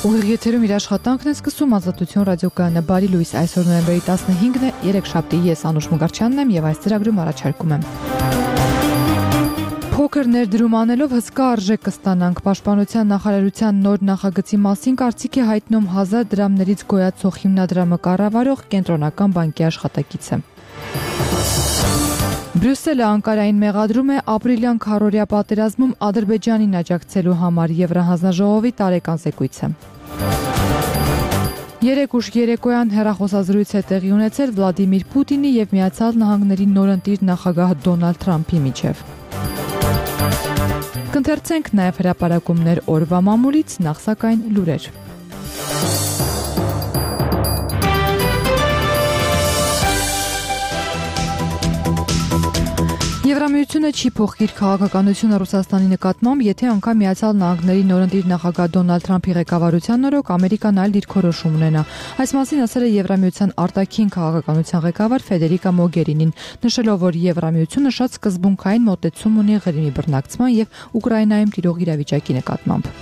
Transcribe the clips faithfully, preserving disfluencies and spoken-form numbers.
Ուղիղ եթերում իր աշխատանքն է սկսում Ազատություն ռադիոկայանը բարի լույս այսօր նոյեմբերի տասնհինգն է երեքշաբթի ես Անուշ Մուգարչյանն եմ եւ այս ծրագրում առաջարկում եմ Փոքր ներդրում անելով հսկա արժեք կստանանք Պաշտպանության նախարարության նոր նախագծի մասին կարծիք է հայտնում հազար դրամներից գոյացող հիմնադրամը կառավարող կենտրոնական բանկի աշխատակիցը Բրյուսելը Անկարային մեղադրում է ապրիլյան քառօրյա պատերազմում Ադրբեջանին աջակցելու համար Եվրահանձնաժողովի տարեկան զեկույցը Երեք ուշ երեկոյան հեռախոսազրույց է տեղի ունեցել Վլադիմիր Պուտինի եւ Միացյալ Նահանգների նորընտիր նախագահ Դոնալդ Թրամփի միջև Կընթերցենք նաեւ հրապարակումներ օրվա մամուլից, նախ սակայն լուրեր Եվրամիությունը չի փոխի իր քաղաքականությունը Ռուսաստանի նկատմամբ, եթե անգամ Միացյալ Նահանգների նորընտիր նախագահ Դոնալդ Թրամփի ղեկավարության օրոք Ամերիկան այլ դիրքորոշում ունենա։ Այս մասին ասել է Եվրամիության արտաքին քաղաքականության ղեկավար Ֆեդերիկա Մոգերինին, նշելով, որ Եվրամիությունը շատ սկզբունքային մոտեցում ունի Ղրիմի բռնակցման եւ Ուկրաինայում տիրող իրավիճակի նկատմամբ։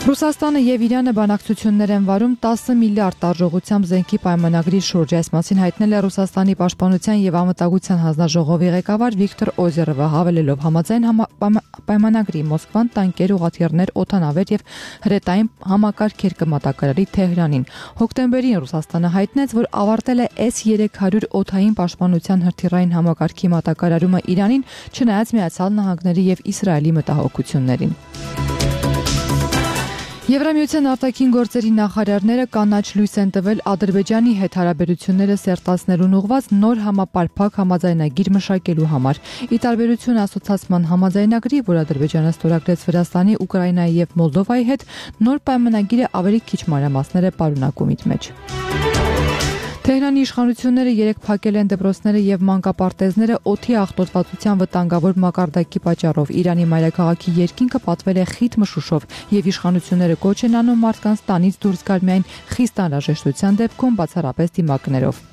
Ռուսաստանը եւ Իրանը բանակցություններ են վարում տասը միլիարդ տարժողությամբ զենքի պայմանագրի շուրջ։ Այս մասին հայտնել է Ռուսաստանի պաշտպանության եւ անվտանգության հանձնաժողովի ղեկավար Վիկտոր Օզերովը, հավելելով համաձայն պայմանագրի Մոսկվան տանկեր, ուղղաթիռներ, օդանավեր եւ հրետային համակարգեր կմատակարարի Թեհրանին։ Հոկտեմբերին Ռուսաստանը հայտնեց, որ ավարտել է S երեք հարյուր օդային պաշտպանության հրթիռային համակարգի մատակարարումը Իրանին, չնայած Միացյալ Նահանգների եւ Իսրայելի մտահոգություններին։ Եվրամիության արտաքին գործերի նախարարները կանաչ լույս են տվել Ադրբեջանի հետ հարաբերությունները սերտացնելուն ուղղված նոր համապարփակ համաձայնագիր մշակելու համար։ Ի տարբերություն ասոցիացիան համաձայնագրի, որ Ադրբեջանը ստորագրեց Վրաստանի, Ուկրաինայի եւ Մոլդովայի հետ, նոր պայմանագիրը ավելի քիչ մանրամասներ է պարունակում իր մեջ։ Թեհրանի իշխանությունները երեք փակել են դպրոցները եւ մանկապարտեզները օդի աղտոտվածության վտանգավոր մակարդակի պատճառով։ Իրանի մայրաքաղաքի երկինքը պատվել է խիտ մշուշով եւ իշխանությունները կոչ են անում մարդկանց տանից դուրս գալ միայն խիստ անհրաժեշտության դեպքում, բացառապես դիմակներով։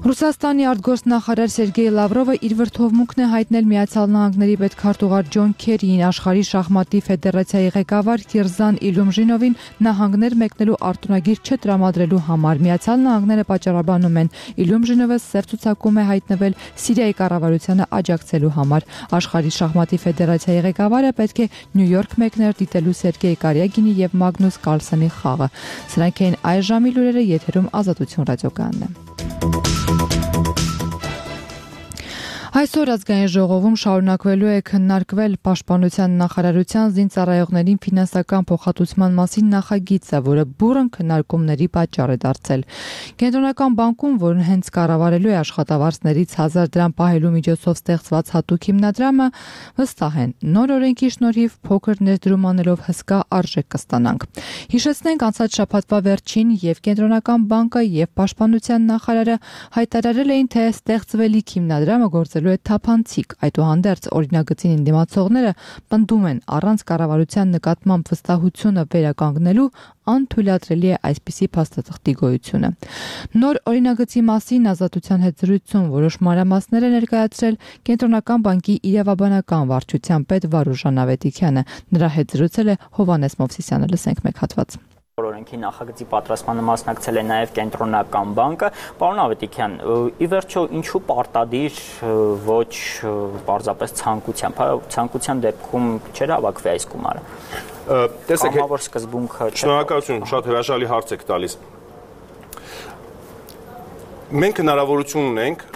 Ռուսաստանի արտգործնախարար Սերգեյ Լավրովը իր վրդովմունքն է հայտնել Միացյալ Նահանգների պետքարտուղար Ջոն Քերիին, աշխարհի շախմատի ֆեդերացիայի ղեկավար Կիրզան Իլյումժինովին նահանգներ մեկնելու արտոնագիր չտրամադրելու համար։ Միացյալ Նահանգները պատճառաբանում են Իլյումժինովը սև ցուցակում է հայտնվել Սիրիայի կառավարությանը աջակցելու համար։ Աշխարհի շախմատի ֆեդերացիայի ղեկավարը պետք է Նյու Յորք մեկներ դիտելու Սերգեյ Կարյագինի եւ Մագնուս Կարլսենի խաղը։ Սրանք էին այս ժամի լուրերը, եթերում Ազատություն ռադիոկայանն է։ Այսօր ազգային ժողովում շարունակվելու է քննարկվել Պաշտպանության նախարարության զինծառայողներին ֆինանսական փոխհատուցման մասին նախագիծը, որը բուռն քննարկումների պատճառ է դարձել։ Կենտրոնական բանկում, որն հենց կառավարելու է աշխատավարձներից հազար դրամ պահելու միջոցով ստեղծված հատուկ հիմնադրամը, վստահ են, նոր օրենքի շնորհիվ փոքր ներդրում անելով հսկա արժեք կստանանք։ Հիշեցնենք, անցած շաբաթվա վերջին եւ Կենտրոնական բանկը եւ Պաշտպանության նախարարը հայտարարել էին, թե ստեղծվելիք հիմնադրամը գործել է թափանցիկ, այդուհանդերձ օրինագծին ընդդիմացողները պնդում են առանց կառավարության նկատմամբ վստահությունը վերականգնելու անթույլատրելի է այսպիսի փաստաթղթի գոյությունը։ Նոր օրինագծի մասին Ազատության հետ զրույցում որոշ մանրամասներ է ներկայացրել Կենտրոնական բանկի իրավաբանական վարչության պետ Վարուժան Ավետիքյանը։ Նրա հետ զրուցել է Հովհաննես Մովսիսյանը, լսենք մեկ հատված։ Օրենքի նախագծի պատրաստմանը մասնակցել է նաև Կենտրոնական բանկը։ Պարոն Ավետիքյան, ի վերջո ինչու պարտադիր ոչ պարզապես ցանկությամբ, ցանկության դեպքում չէր հավաքվի այս գումարը։ Տեսեք, կամավոր սկզբունքը չէ։ Շնորհակալություն, շատ հրաշալի հարց եք տալիս։ Մենք հնարավորություն ունենք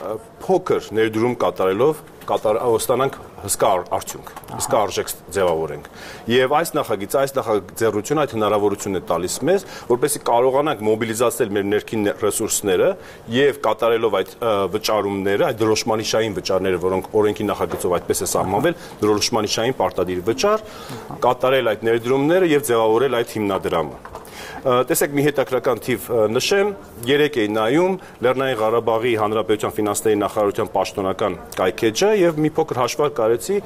փոքր ներդրում կատարելով ստանանք հսկա արդյունք, հսկա արժեք ձևավորենք։ Եվ այս նախագիծը, այս նախաձեռնությունը այդ հնարավորությունն է տալիս մեզ, որպեսզի կարողանանք մոբիլիզացնել մեր ներքին ռեսուրսները եւ կատարելով այդ վճարումները, այդ դրոշմանիշային վճարները, որոնք օրենքի նախագծով այդպես է սահմանվել, դրոշմանիշային պարտադիր վճար, կատարել այդ ներդրումները եւ ձևավորել այդ հիմնադրամը։ Տեսեք, մի հետաքրական թիվ նշեմ, երեք էի նայում Լեռնային Ղարաբաղի Հանրապետության ֆինանսների նախարարության պաշտոնական կայքեջը եւ մի փոքր հաշվարկ արեցի,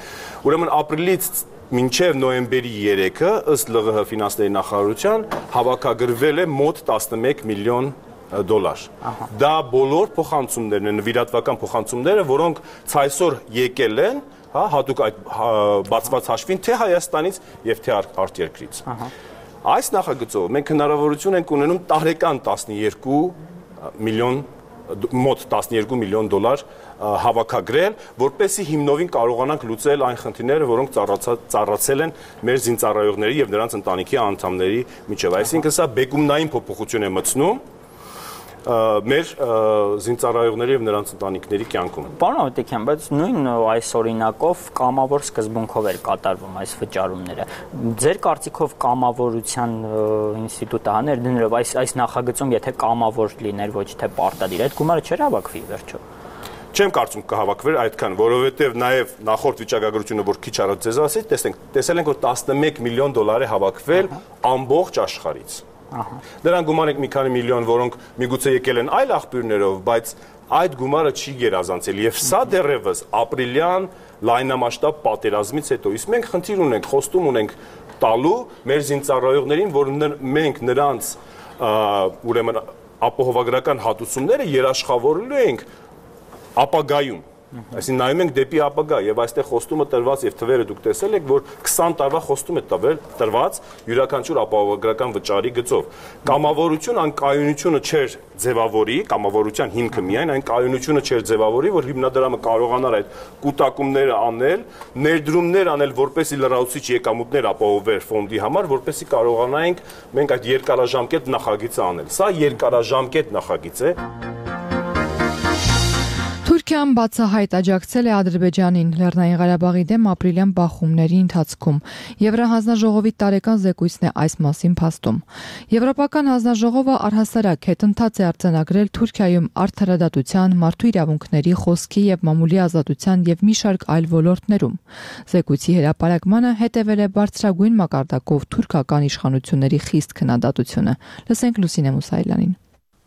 ուրեմն ապրիլից մինչև նոյեմբերի երեքը ըստ Լ Ղ Հ ֆինանսների նախարարության հավաքագրվել է մոտ տասնմեկ միլիոն դոլար։ Դա բոլոր փոխանցումներն են, նվիրատվական փոխանցումները, որոնք ցայսօր եկել են հա, հատուկ այդ բացված հաշվին թե Հայաստանից եւ թե արտերկրից։ Այս նախագծով մենք հնարավորություն ենք ունենում տարեկան տասնյոթ միլիոն մոտ տասնյոթ միլիոն դոլար հավաքագրել, որպեսզի հիմնովին կարողանանք լուծել այն խնդիրները, որոնք ծառացել են մեր զինծառայողների եւ նրանց ընտանիքի անդամների միջև։ Այսինքն սա բեկումնային փոփոխություն է մտցնում մեր զինծառայողների եւ նրանց ընտանիքների կյանքում։ Պարոն Ավետիքյան, բայց նույն այս օրինակով կամավոր սկզբունքով էր կատարվում այս վճարումները։ Ձեր կարծիքով կամավորության ինստիտուտը հաներ դներով այս այս նախագծում, եթե կամավոր լիներ, ոչ թե պարտադիր, այդ գումարը չէր հավաքվի վերջո։ Չեմ կարծում կհավաքվեր այդքան, որովհետեւ նաեւ նախորդ վիճակագրությունը, որ քիչ առաջ ձեզ ասեցի, տեսենք, տեսել ենք, որ տասնմեկ միլիոն դոլար է հավաքվել ամբողջ աշխարհից։ Դրան գումար ենք մի քանի միլիոն, որոնք միգուցե եկել են այլ աղբյուրներով, բայց այդ գումարը չի գերազանցել եւ սա դեռևս ապրիլյան լայնամասշտաբ պատերազմից հետո։ Իսկ մենք խնդիր ունենք, խոստում ունենք տալու մեր զինծառայողներին, որ մենք նրանց ուրեմն ապահովագրական հատուցումները երաշխավորելու ենք ապագայում։ Այսինքն նայում ենք դեպի ապագա եւ այստեղ խոստումը տրված եւ թվերը դուք տեսել եք, որ քսան տարվա խոստում է տվել տրված յուրաքանչյուր ապահովագրական վճարի գծով։ Կամավորություն ան կայունությունը չէր ձևավորի, կամավորության հիմքը միայն այն կայունությունը չէր ձևավորի, որ հիմնադրամը կարողանար այդ կൂട്ടակումները անել, ներդրումներ անել, որպեսզի լրացուցիչ եկամուտներ ապահովեր ֆոնդի համար, որպեսզի կարողանայինք մենք այդ երկարաժամկետ նախագիծը անել։ Սա երկարաժամկետ նախագիծ է։ Թուրքիան բացահայտ աջակցել է Ադրբեջանին Լեռնային Ղարաբաղի դեմ ապրիլյան բախումների ընթացքում։ Եվրահանձնաժողովի տարեկան զեկույցն է այս մասին փաստում։ Եվրոպական հանձնաժողովը առհասարակ հետընթաց է արձանագրել Թուրքիայում արդարադատության, մարդու իրավունքների, խոսքի եւ մամուլի ազատության եւ մի շարք այլ ոլորտներում։ Զեկույցի հրապարակմանը հետևել է բարձրագույն մակարդակով թուրքական իշխանությունների խիստ քննադատությունը։ Լսենք Լուսինե Մուսայելյանին։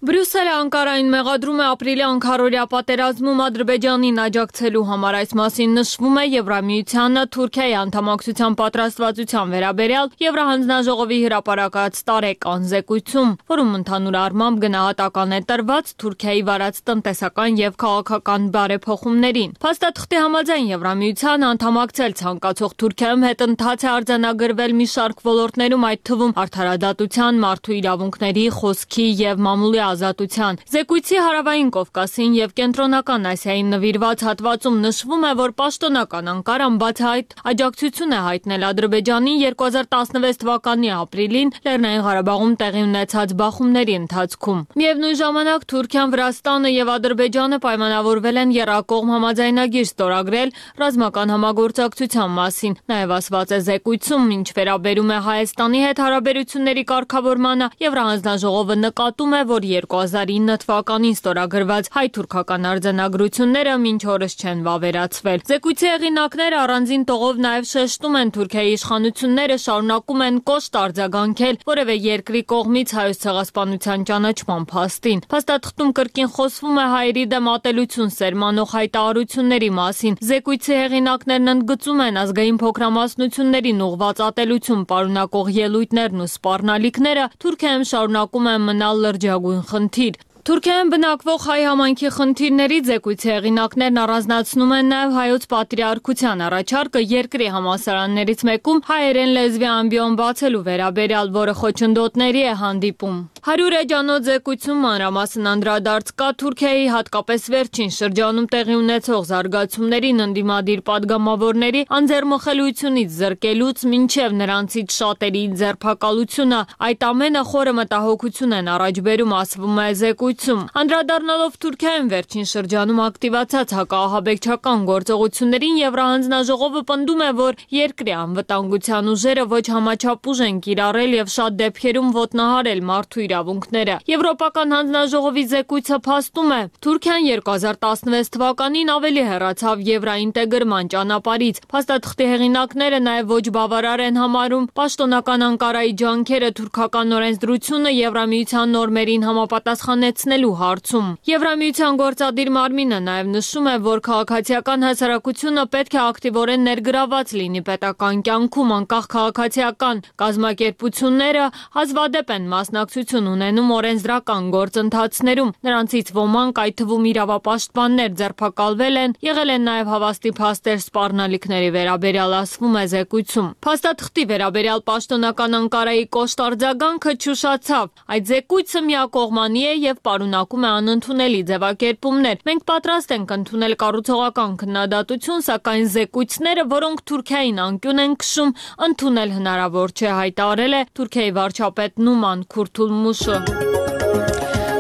Բրյուսելը Անկարային մեղադրում է ապրիլի անքարորյա պատերազմում Ադրբեջանին աջակցելու համար, այս մասին նշվում է Եվրամիությանը Թուրքիայի անդամակցության պատրաստվածության վերաբերյալ Եվրահանձնաժողովի հրապարակած տարեկան զեկույցում, որում ընդհանուր առմամբ գնահատական է տրված Թուրքիայի վարած տնտեսական եւ քաղաքական բարեփոխումներին։ Փաստաթղթի համաձայն Եվրամիությանը անդամակցել ցանկացող Թուրքիայում հետընթաց է արձանագրվել մի շարք ոլորտներում, այդ թվում արդարադատության, մարդու իրավունքների, խոսքի եւ մամուլի ազատության։ Զեկույցի հարավային Կովկասին եւ կենտրոնական Ասիային նվիրված հատվածում նշվում է, որ պաշտոնական Անկարան բացահայտ աջակցություն է հայտնել Ադրբեջանին երկու հազար տասնվեց թվականի ապրիլին Լեռնային Ղարաբաղում տեղի ունեցած բախումների ընթացքում։ Միևնույն ժամանակ Թուրքիան, Վրաստանը եւ Ադրբեջանը պայմանավորվել են եռակողմ համաձայնագիր ստորագրել ռազմական համագործակցության մասին։ Նաեւ ասված է զեկույցում, ինչ վերաբերում է Հայաստանի հետ հարաբերությունների կարգավորմանը, Եվրահանձնաժողովը նկատում է, որ երկու հազար ինը թվականին ստորագրված հայ-թուրքական արձանագրությունները մինչ օրս չեն վավերացվել։ Զեկույցի հեղինակները առանձին տողով նաև շեշտում են Թուրքիայի իշխանությունները շարունակում են կոշտ արձագանքել որևէ երկրի կողմից Հայոց ցեղասպանության ճանաչման փաստին։ Փաստաթղթում կրկին խոսվում է հայերի դեմ ատելություն սերմանող հայտարարությունների մասին։ Զեկույցի հեղինակներն ընդգծում են ազգային փոքրամասնություններին ուղղված ատելություն պարունակող ելույթներն ու սպառնալիքները Թուրքիայում շարունակում են մնալ լրջագույն խնդիր։ Թուրքիայում բնակվող հայ համայնքի խնդիրների զեկույցի հեղինակներն առանձնացնում են նաև հայոց պատրիարքության առաջարկը երկրի համալսարաններից մեկում հայերեն լեզվի ամբիոն բացելու վերաբերյալ, որը խոչընդոտների է հանդիպում։ Հարյուր էջանոց զեկույցում մանրամասն անդրադարձ կա Թուրքիայի հատկապես վերջին շրջանում տեղի ունեցող զարգացումներին, ընդդիմադիր падգամավորների անձեռմխելիությունից զրկելուց մինչև նրանցից շատերի ձերբակալությունը, այդ ամենը խորը մտահոգություն են առաջ բերում, ասվում է զեկույցում։ Անդրադառնալով Թուրքիայում վերջին շրջանում ակտիվացած հակահաբեկչական գործողություններին, Եվրահանձնաժողովը պնդում է, որ երկրի անվտանգության ուժերը ոչ համաչափ ուժ են կիրառել եւ շատ դեպքերում ոտնահարել մարդու իրավունքները։ Եվրոպական հանձնաժողովի զեկույցը փաստում է, Թուրքիան երկու հազար տասնվեց թվականին ավելի հեռացավ եվրաինտեգրման ճանապարհից։ Փաստաթղթի հեղինակները նաև ոչ բավարար են համարում պաշտոնական Անկարայի ջանքերը թուրքական օրենսդրությունը Եվրամիության նորմերին համապատասխանեցնելու հարցում։ Եվրամիության գործադիր մարմինը նաև նշում է, որ քաղաքացիական հասարակությունը պետք է ակտիվորեն ներգրաված լինի պետական կյանքում, անկախ քաղաքացիական կազմակերպությունները հազվադեպ են մասնակցություն մասնակցություն ունենում օրենսդրական գործընթացներում։ Նրանցից ոմանք, այդ թվում իրավապաշտպաններ, ձերբակալվել են, եղել են նաև հավաստի փաստեր սպառնալիքների վերաբերյալ, ասվում է զեկույցում։ Փաստաթղթի վերաբերյալ պաշտոնական Անկարայի կոշտ արձագանքը չուշացավ։ Այդ զեկույցը միակողմանի է եւ պարունակում է անընդունելի ձևակերպումներ։ Մենք պատրաստ ենք ընդունել կառուցողական քննադատություն, սակայն զեկույցները, որոնք Թուրքիային անկյուն են քշում, ընդունել հնարավոր չէ, հայտարարել է Թուրքիայի վարչապետ Նուման Քուրթուլմուշը։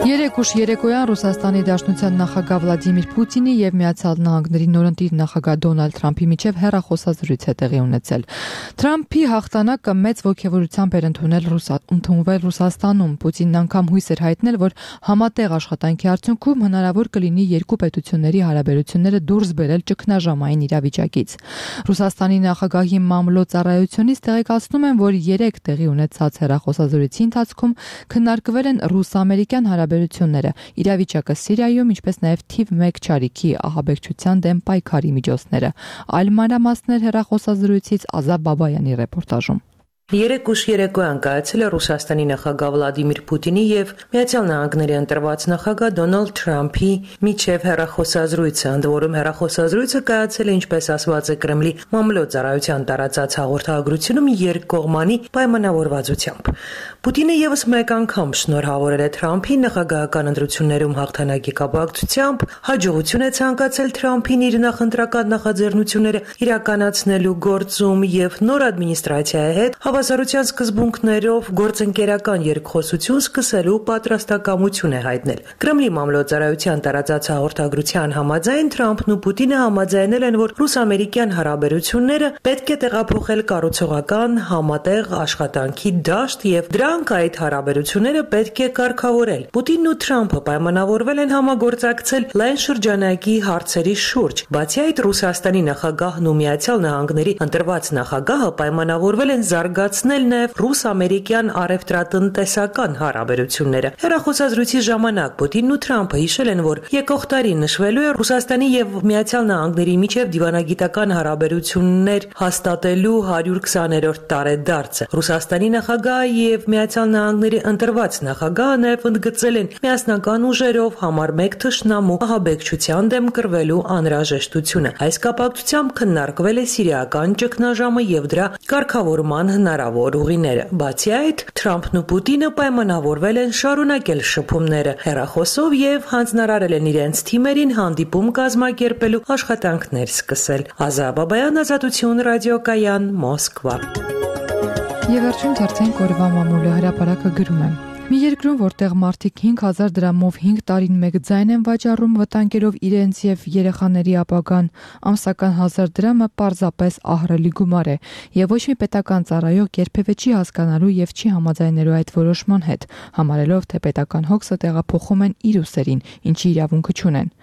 Երեկ ուշ երեկոյան Ռուսաստանի Դաշնության նախագահ Վլադիմիր Պուտինի եւ Միացյալ Նահանգների նորընտիր նախագահ Դոնալդ Թրամփի միջև հեռախոսազրույց է տեղի ունեցել։ Թրամփի հաղթանակը մեծ ոգևորությամբ էր ընդունել ընդունվել Ռուսաստանում։ Պուտինն անգամ հույս էր հայտնել, որ համատեղ աշխատանքի արդյունքում հնարավոր կլինի երկու պետությունների հարաբերությունները դուրս բերել ճգնաժամային իրավիճակից։ Ռուսաստանի նախագահի մամլո ծառայությունից տեղեկացնում են, որ երեք տեղի ունեցած հեռախոսազրույցի ընթացքում քննարկվել են ռուս-ամերիկյան հարաբերությունները, իրավիճակը Սիրիայում, ինչպես նաև թիվ մեկ չարիքի ահաբեկչության դեմ պայքարի միջոցները։ Այլ մանրամասներ հեռախոսազրույցից Ազատ Բաբայանի ռեպորտաժում։ Երեկ ուշ երեկոյան կայացել է Ռուսաստանի նախագահ Վլադիմիր Պուտինի եւ Միացյալ Նահանգների ընտրված նախագահ Դոնալդ Թրամփի միջև հեռախոսազրույցը, ընդ որում հեռախոսազրույցը կայացել է, ինչպես ասված է Կրեմլի մամլո ծառայության տարածած հաղորդագրությունում, երկկողմանի պայմանավորվածությամբ։ Պուտինը եւս մեկ անգամ շնորհավորել է Թրամփին նախագահական ընտրություններում հաղթանակի կապակցությամբ, հաջողություն է ցանկացել Թրամփին իր նախընտրական նախաձեռնությունները իրականացնելու գործում եւ նոր ադմինիստրացիայի հետ հավասարության սկզբունքներով գործընկերական երկխոսություն սկսելու պատրաստակամություն է հայտնել։ Կրեմլի մամլոյցարայության տարածած հաղորդագրության համաձայն Թրամփն ու Պուտինը համաձայնել են, որ ռուս-ամերիկյան հարաբերությունները պետք է տեղափոխել կառուցողական համատեղ աշխատանքի դաշտ եւ դրանք այդ հարաբերությունները պետք է կարգավորել։ Պուտինն ու Թրամփը պայմանավորվել են համագործակցել լայն շրջանակի հարցերի շուրջ։ Բացի այդ, Ռուսաստանի նախագահն ու Միացյալ Նահանգների ընտրված նախագահը պայմանավորվել են զարգացնել նաև ռուս-ամերիկյան առևտրատնտեսական հարաբերությունները։ Հեռախոսազրույցի ժամանակ Պուտինն ու Թրամփը հիշել են, որ եկող տարի նշվելու է Ռուսաստանի եւ Միացյալ Նահանգների միջև դիվանագիտական հարաբերություններ հաստատելու հարյուր քսաներորդ տարեդարձը։ Ռուսաստանի նախագահը եւ Միացյալ Նահանգների ընտրված նախագահը նաև ընդգծել են միասնական ուժերով համար մեկ թշնամու ահաբեկչության դեմ կռվելու անհրաժեշտությունը։ Այս կապակցությամբ քննարկվել է սիրիական ճգնաժամը եւ դրա կարգավորման հնարավոր ուղիները։ Բացի այդ, Թրամփն ու Պուտինը պայմանավորվել են շարունակել շփումները հեռախոսով եւ հանձնարարել են իրենց թիմերին հանդիպում կազմակերպելու աշխատանքներ սկսել։ Ազատ Բաբայան, Ազատություն ռադիոկայան, Մոսկվա։ Եվ վերջում թերթենք օրվա մամուլը հրապարակը գրում է. Մի երկրում, որտեղ մարդիկ հինգ հազար դրամով հինգ տարին մեկ ձայն են վաճառում, վտանգելով իրենց եւ երեխաների ապագան, ամսական հազար դրամը պարզապես ահռելի գումար է, եւ ոչ մի պետական ծառայող երբևէ չի հասկանալու եւ չի համաձայնելու այդ որոշման հետ, համարելով, թե պետական հոգսը տեղափոխում են իր ուսերին, ինչի իրավունքը չունեն։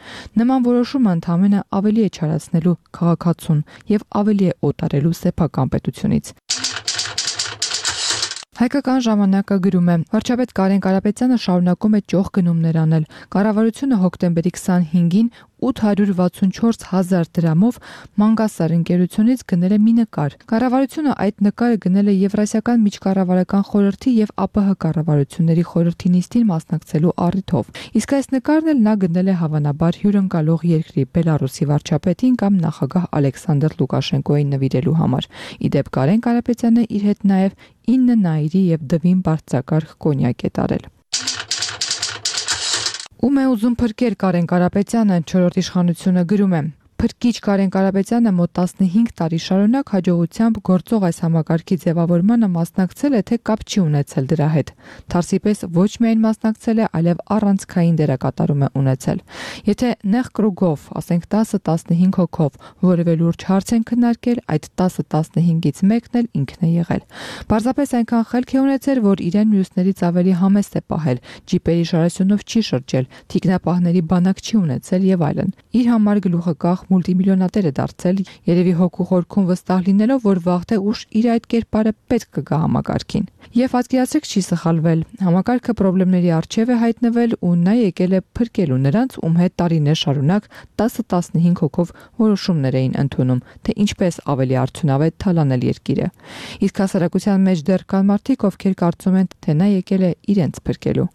Նման որոշումը ընդհանրապես ավելի է չարացնելու քաղաքացուն եւ ավելի է օտարելու սեփական պետությունից։ Հայկական ժամանակը գրում է. Վարչապետ Կարեն Կարապետյանը շարունակում է ճոխ գնումներ անել։ Կառավարությունը հոկտեմբերի քսանհինգին ութ հարյուր վաթսունչորս հազար դրամով Մանգասար ընկերությունից գնել է մի նկար։ Կառավարությունը այդ նկարը գնել է Եվրասիական միջկառավարական խորհրդի եւ ԱՊՀ կառավարությունների խորհրդի նիստին մասնակցելու առիթով։ Իսկ այս նկարն էլ նա գնել է հավանաբար հյուրընկալող երկրի Բելարուսի վարչապետին կամ նախագահ Ալեքսանդր Լուկաշենկոյին նվիրելու համար։ Իդեպ Կարեն Կարապետյանը իր հետ նաեւ ինը նայրի եւ դվին բարձրակարգ կոնյակ է տարել։ Ում է ուզում փրկել Կարեն Կարապետյանը, չորրորդ իշխանությունը գրում է. Փրկիչ Կարեն Կարապետյանը մոտ տասնհինգ տարի շարունակ հաջողությամբ գործող այս համակարգի ձևավորմանը մասնակցել է, թե կապ չի ունեցել դրա հետ։ Թարսի պես ոչ միայն մասնակցել է, այլև առանցքային դերակատարում է ունեցել։ Եթե նեղ կրուգով, ասենք տասը տասնհինգ հոգով, որևէ լուրջ հարց են քննարկել, այդ տասը տասնհինգից մեկն էլ ինքն է եղել։ Պարզապես այնքան խելք է ունեցել, որ իրեն մյուսներից ավելի համեստ է պահել, ջիպերի շարասյունով չի շրջել, թիկնապահների բանակ չի ունեցել եւ այլն։ Իր համար գլուխը կախ մուլտիմիլիոնատեր է դարձել, երևի հոգու խորքում վստահ լինելով, որ վաղ թե ուշ իր այդ կերպարը պետք կգա համակարգին։ Եվ պատկերացրեք չի սխալվել, համակարգը խնդիրների առջև է հայտնվել ու նա եկել է փրկելու նրանց, ում հետ տարիներ շարունակ տասը տասնհինգ հոգով որոշումներ էին ընդունում, թե ինչպես ավելի արդյունավետ թալանել երկիրը։ Իսկ հասարակության մեջ դեռ կան մարդիկ, ովքեր կարծում են, թե նա եկել է իրենց փրկելու։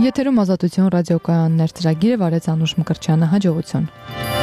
Եթերում Ազատություն ռադիոկայաններ ծրագիրը վարեց Անուշ Մկրտչյանը, հաջողություն։